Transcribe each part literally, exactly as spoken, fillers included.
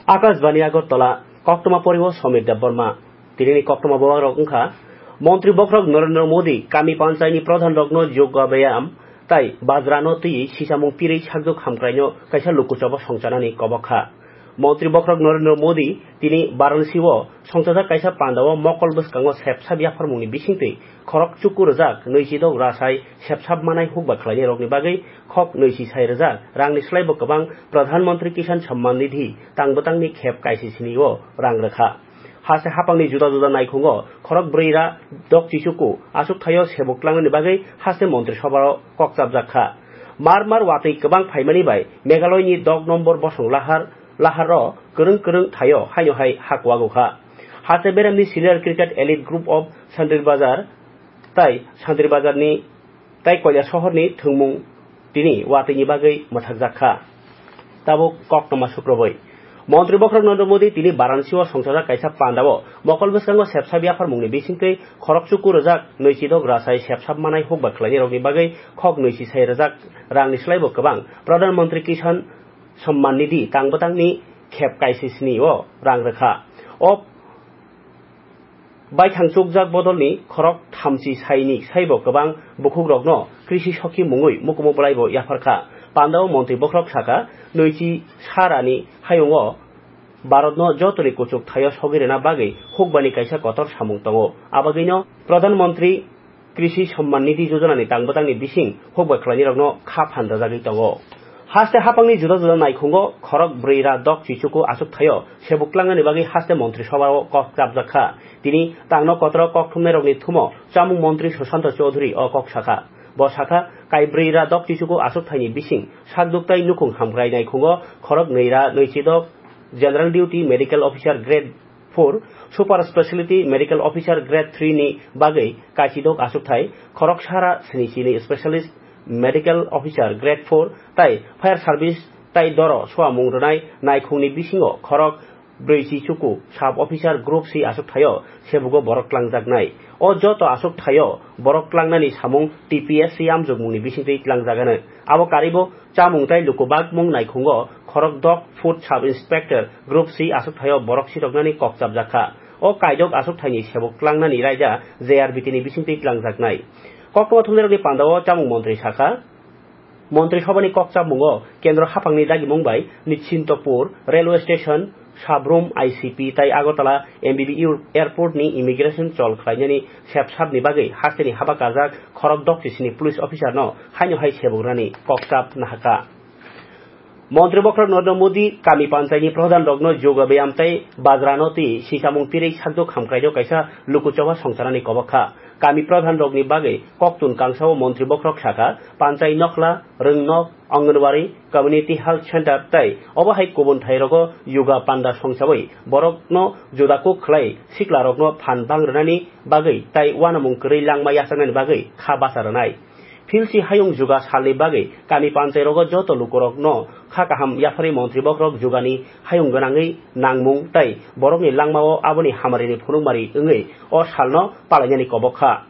Akashbani Agartala, koktwma poriwo Somir Debbarma. Tinini koktwma bobagrok wngkha, Montri bokhorok Narendra Modi kami panchayni pradhanrokno yoga byayam tai bajrano twiwi sisamung pirwi sakduk hamkraino kaisa lukuchabo songchanani kobok kha. Montri bokhorok Narendra Modi tini Varanasi-o songchajak kaisa pandao mokol bwskango sepsap yapharmungni bisingtwi khorok chuku rwjak nwichidok rasai sepsap manai hukba khlainairokni bagwi khok nwichi sai rwjak rangni slaibo kwbang Pradhan Mantri Kisan Samman Nidhi tang bwtangni khep kaisisini o rang rwkha. Haste haphangni juda juda naikhungo khorok brwi ra dok chichuku achuk thaio sebuk tlangnani bagwi haste Montri Sobhao kok chapjak kha. Mar mar watwi kwbang phaimani bai Meghalaya ni dok nombor bosong lahar lahar o kwrwng kwrwng thaio haino hai hakuago kha. Haste beremni Senior Cricket Elite Group of Sandri Bazar tai Sandri Bazar ni tai Koilashahar ni thwngmung tini watwi ni bagwi mwthakjak kha. Tabuk koktwma sukrubwi. Montri bokhorok Narendra Modi tini Varanasi-o songchajak kaisa pandao mokol bwskango sepsap yapharmungni bisingtwi khorok chuku rwjak nwichidok rasai sepsap manai hukba khlainairokni bagwi khok nwichi sai rwjak rangni slaibo kwbang Pradhan Mantri Kisan Samman Nidhi tang bwtangni khep kaisisini o rang rwkha. O baithang chukjak bodolni khorok thamchi saini saibo kwbang bukhukrokno Krishi Sokhi mungwi mukumu bwlaibo yapharkha. Pandao Montri bokhorok sakha, nwichi sarani hayungo Bharatno jotoni kuchuk thaio sogwi rwna bagwi hukbani kaisa kotor samung tongo. Abagwino Pradhan Mantri Krishi Samman Nidhi Yojana ni tang bwtangni bising hukbai khlainairokno kha phan rwjagwi tongo. Haste haphangni juda juda naikhungo khorok brwi ra dok chichuku achuk thaio sebuk tlangnani bagwi haste Montri Sobhao kok chapjak kha. Tini tangno kotoro kok thumnairokni thumo chamung montri Sushanta Chowdhury o kok sakha. Bo sakha, kaibrwi ra dok chichuku achuk thaini bising sakduk tai nukhung hamkrai naikhungo khorok nwi ra nwi chidok General Duty Medical Officer Grade four, Super Speciality Medical Officer Grade three ni bagwi kaichidok achukthai, khorok sara sini chini Specialist Medical Officer Grade four tai Fire Service tai doro soamung rwnai naikhungni bisingo khorok brwi chi chuku Sub Officer Group C achukthaio sebugo borok tlangjaknai. O joto achukthaio borok tlangnani samung T P S C amjokmungni bisingtwi tlangjagano. Abo karibo chamung tai luku bakmung naikhungo khorok dok food Sub Inspector Group C achukthaio borok siroknani kok chapjakha. O kaidok achukthaini sebuk tlangnani raida J R B T ni bisingtwi tlangjaknai. Koktwma thumnairokni pandao chamung montri sakha, Montri Sobhani kok chapmungo Kendro haphangni dagimung bai Nishintopur Railway Station, Sabrum I C P tai Agartala M B B U Airport ni immigration chol khlainani sepsapni bagwi hasteni haba kajak khorok dok chisini police officer no haino hai sebugrani kokchap nahaka. Montri bokhorok Narendra Modi kami panchayni pradhan rokno yoga byayam tai bajrano twi sisamung pirwi sakduk hamkraino kaisa lukuchoba songcharani kobok kha. Kami pradhan rokni bagwi koktun kangsao montri bokhorok sakha, panchai nokhla, rwngnok, Anganwadi, Community Health Center tai obo hai kubun thairogo yoga panda songchawi borokno juda kuk khlai siklarokno phan bang rwnani bagwi tai uanamung kwrwi langma yachaknani bagwi kha bacha rwnai. Philsi hayung juga salni bagwi kami panchai rogo joto lukurokno kha kaham yapharwi montri bokhorok jugani hayung gwnangwi nangmung tai borokni langmao aboni hamarini phunukmari wngwi o salno palainani kobok kha.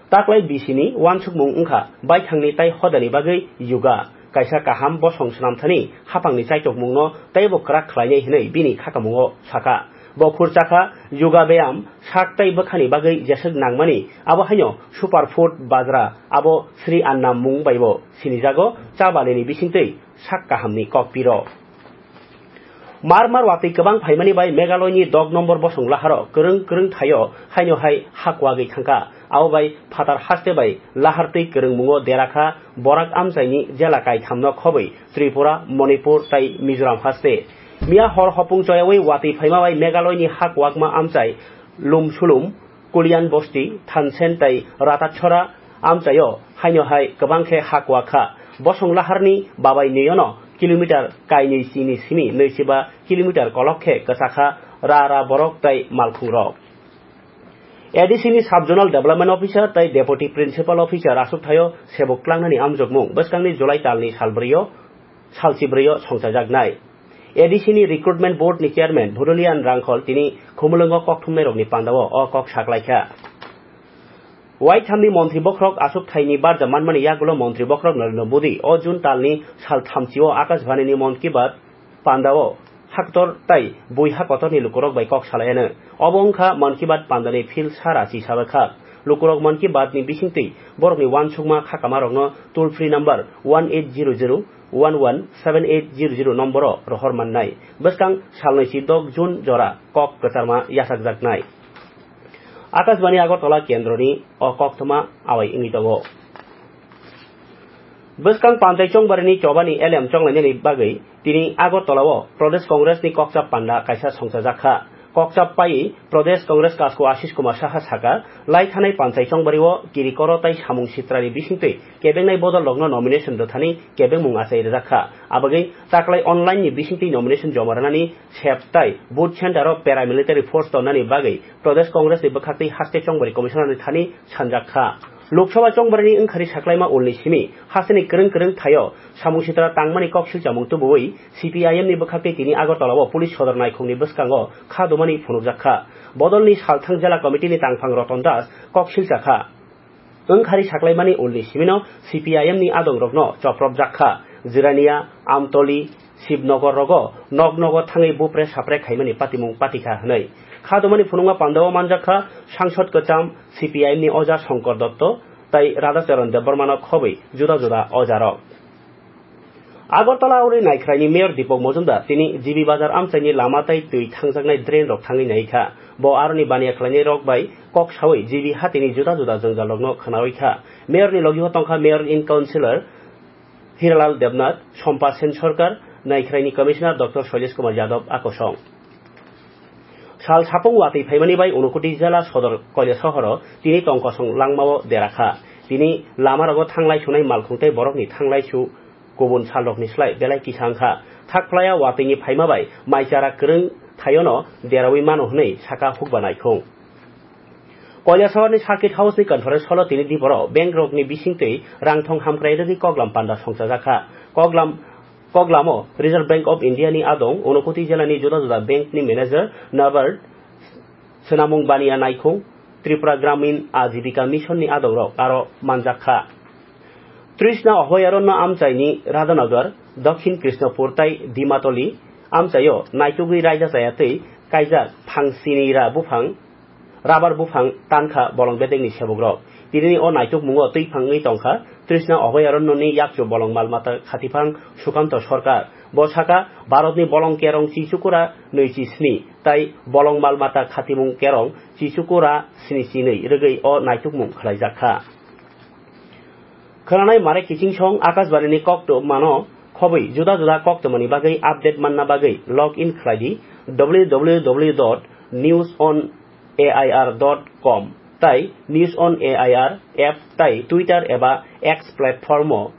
Taklai bisini uansukmung wngkha baithangni tai hodani bagwi yoga, kaisa kaham bosong swnamthani haphangni chaitokmungno teibo kwrak khlainai hwnwi bini khakamungo sakha. Bo khurchakha yoga byayam sak tei bwkhani bagwi jeswk nangmani, abo haino superfood bajra, abo Sri Anna mung baibo sinijago, cha balini bisingtwi sak kahamni kok piro. Mar mar watwi kwbang phaimani bai Meghalaya ni dok nombor bosong laharo kwrwng kwrwng thaio haino hai ha kuagwi thangkha. Abo bai phatar haste bai lahar twi kwrwngmungo derakha Borak amchaini jela kaithamno khobwi Tripura, Manipur tai Mizoram haste. Miya hor hopung choyawi watwi phaima bai Meghalaya ni ha kuakma amchai Lumsulum, Kulyan Bosti, Thansen tai Ratatchora amchaio haino hai kwbang khe ha kuak kha. Bosong laharni babai nwiyono kilometer kainwi chini simi nwichiba kilometer kolok khe kwchakha ra ra borok tai malkhungrok. A D C ni Sub Zonal Development Officer tai Deputy Principal Officer aswk thaio sebuk tlangnani amjokmung bwskangni July talni salbrio, salchibrwio songchajaknai. A D C ni Recruitment Board ni Chairman Bhurolian Rangkhol tini Khumulwngo kokthumnairokni pandao o kok saklaikha. Waithamni montri bokhorok aswk thaini barja manmani yagulo montri bokhorok Narendra Modi o June talni sal thamchio Akashbani ni Mann Ki Baat pandao haktor tai buiha kotorni lukurok bai kok salaiano. Obo wngkha Mann Ki Baat pandani phil sara chisabakha. Lukurok Mann Ki Baat ni bisingtwi borokni uansukma khakamarokno toll free number one eight zero zero one one seven eight zero zero nomboro rohor mannai. Bwskang salnwi si dok June jora kok kwcharma yachakjaknai. Akashbani Agartala kendroni o koktwma awai wngwi tongo. Bwskang Pantai Chongbarini chobani elem chonglainani bagwi tini Agartala-o Pradesh Congress ni kokchap panda kaisa songchajak kha. Kokchap pai Pradesh Congress kasku Ashish Kumar Saha saka, lai thanai Pantai Chongbario kirikoro tai samung sitrani bisingtwi kebengnai bodol rokno nomination rwthani kebengmung achai rijak kha. Abagwi taklai online ni bisingtwi nomination joma rwnani sep tai booth center o paramilitary force tonnani bagwi Pradesh Congress ni bwkhaktwi haste chongbari commissioner ni thani sanjak kha. Lok Sabha chongbarini wngkhari saklaima ulni simi hasteni kwrwng kwrwng thaio samung sitra tangmani kok silchamung tubuwi C P I M ni bwkhaktwi tini Agartala o police sodor naikhungni bwskango kha dumani phunukjak kha. Bodolni salthang jela committee ni tangphang Roton Das kok silcha kha. Wngkhari saklaimani ulni simino C P I M ni adongrokno chopropjak kha. Jirania, Amtoli, Shibnogor rogo nok nogo thangwi bupre sapre khaimani patimung patikha hwnwi. Kha dumani phunukma pandao manjak kha sangsod kwcham C P I M ni oja Shankar Dotto tai Radhacharan Debbarmano khobwi juda juda ojarok. Agartala uri Naikhraini Mayor Deepak Majumdar tini G B Bazar amchaini lama tai twi thangjaknai drain rok thangwi nai kha. Bo aroni baniya khlainai rok bai kok sawi G B hatini juda juda jwngjal rokno khwnawi kha. Mayor ni logi o tongkha Mayor in Councillor Hiralal Debnath, Sompa Sen Sarkar, Naikhraini Commissioner Doctor Shailesh Kumar Yadav akosong. Sal sapung watwi phaimani bai Unakoti jela sodor Koilasohoro tini tongkosong langmao dera kha. Tini lamarogo thanglai sunai malkhung tei borokni thanglai su kubun salrokni slai belai kisa wngkha. Thak phlaya watwini phaima bai mai chara kwrwng thaiono derawi mano hwnwi saka hukba naikhung. Koilasohorni Circuit House ni conference hall o tini diboro bank rokni bisingtwi rangthong hamkrai rwgwi koklam panda songchajak kha. Koklam, koklamo Reserve Bank of India ni adong, Unakoti jela ni juda juda bank ni manager, Norbert Swnamung Baniya Naikhung, Tripura Gramin Ajibika Mission ni adongrok aro manjak kha. Trishna Abhayaranno amchaini Radhanagar, Dakhin Krishnapur tai Dimatoli amchaio naitugwi raida chaya twi kaijak phang sinira buphang, rabar buphang tankha bolong bedekni sebukrok. Tinini o naitukmungo twi phangwi tongkha Trishna Abhayaranno ni yakchu bolong mal mata khatiphang Sukanto Sarkar. Bo saka, Bharatni bolong kerong chichukura nwi chi sni tai bolong mal mata khatimung kerong chichukura sni chi nwi rwgwi o naitukmung khlaijak kha. Khwnanai mare kiching song Akashbani ni koktwmano khobwi juda juda koktwmani bagwi update manna bagwi log in khlai di W W W dot news on A I R dot com tai News on A I R app tai Twitter eba X platform o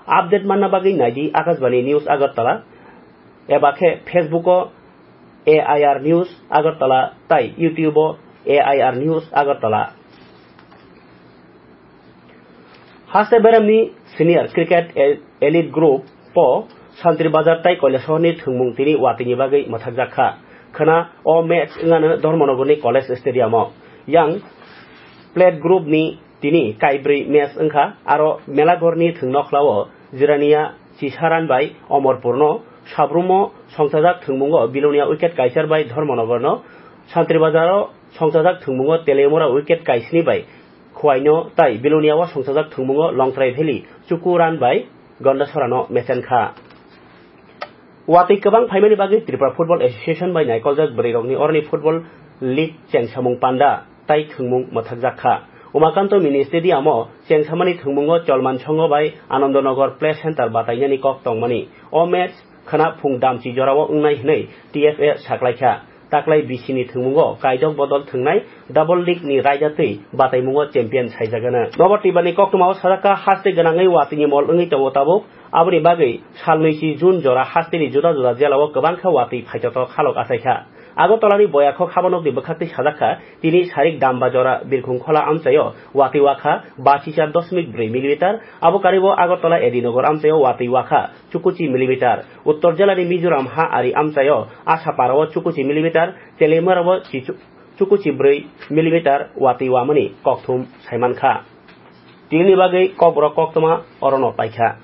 update manna bagwi nai di Akashbani News Agartala eba khe Facebook o A I R News Agartala tai YouTube o A I R News Agartala. Haste beremni senior cricket e-, elite group o Santri Bazar tai Koilasohorni thwngmung tini watwini bagwi mwthakjak kha. Khwna o match wngano Dharmanagorni College Stadium o. Yang plate group ni tini kaibrwi match wngkha, aro Melagorni thwngnokhla o Jirania Chisaran bai Omorpurno, Sabrumo songchajak thwngmungo Bilonia wicket kaichar bai Dharmanagorno, Santri Bazar o songchajak thwngmungo Telemura wicket kaisni bai Khwaino tai Bilonia o songchajak thwngmungo Longtrai Valley Chuku Ran bai Gondasorano mechen kha. Watwi kwbang phaimani bagwi Tripura Football Association bai naikoljak bwrwirokni oroni Football League chengsamung panda tai thwngmung mwthakjak kha. Umakanto Mini Stadium o chengsamani thwngmungo Cholman Songho bai Anandanagar Play Center batainani kok tongmani. O match khwna phung damchi jorao wngnai hwnwi T F A saklaikha. Taklai B C ni thwngmungo kaidok bodol thwngnai Double League ni raida twi bataimungo champion saijagano. Nobar Tibrani koktwmao sajak kha, haste gwnangwi watwini mol wngwi tongo tabuk. Aboni bagwi salnwi si June jora hasteni juda juda jelao kwbang khe watwi phaitotok halok achaikha. Agartalani Boyakhok habanokni bwkhaktwi sajak kha, tini sarik Damba jora Birkhung Khola amchaio watwi wakha bachisa dosmik brwi millimeter. Abo karibo Agartala Edinagar amchaio watwi wakha chukuchi millimeter. Uttor jelani Mizoram ha ari amchaio Asapara o chukuchi millimeter, Telemara o chichu-, chukuchi brwi millimeter watwi wamani kokthum saimankha. Tinini bagwi kokborok koktwma orono paikha.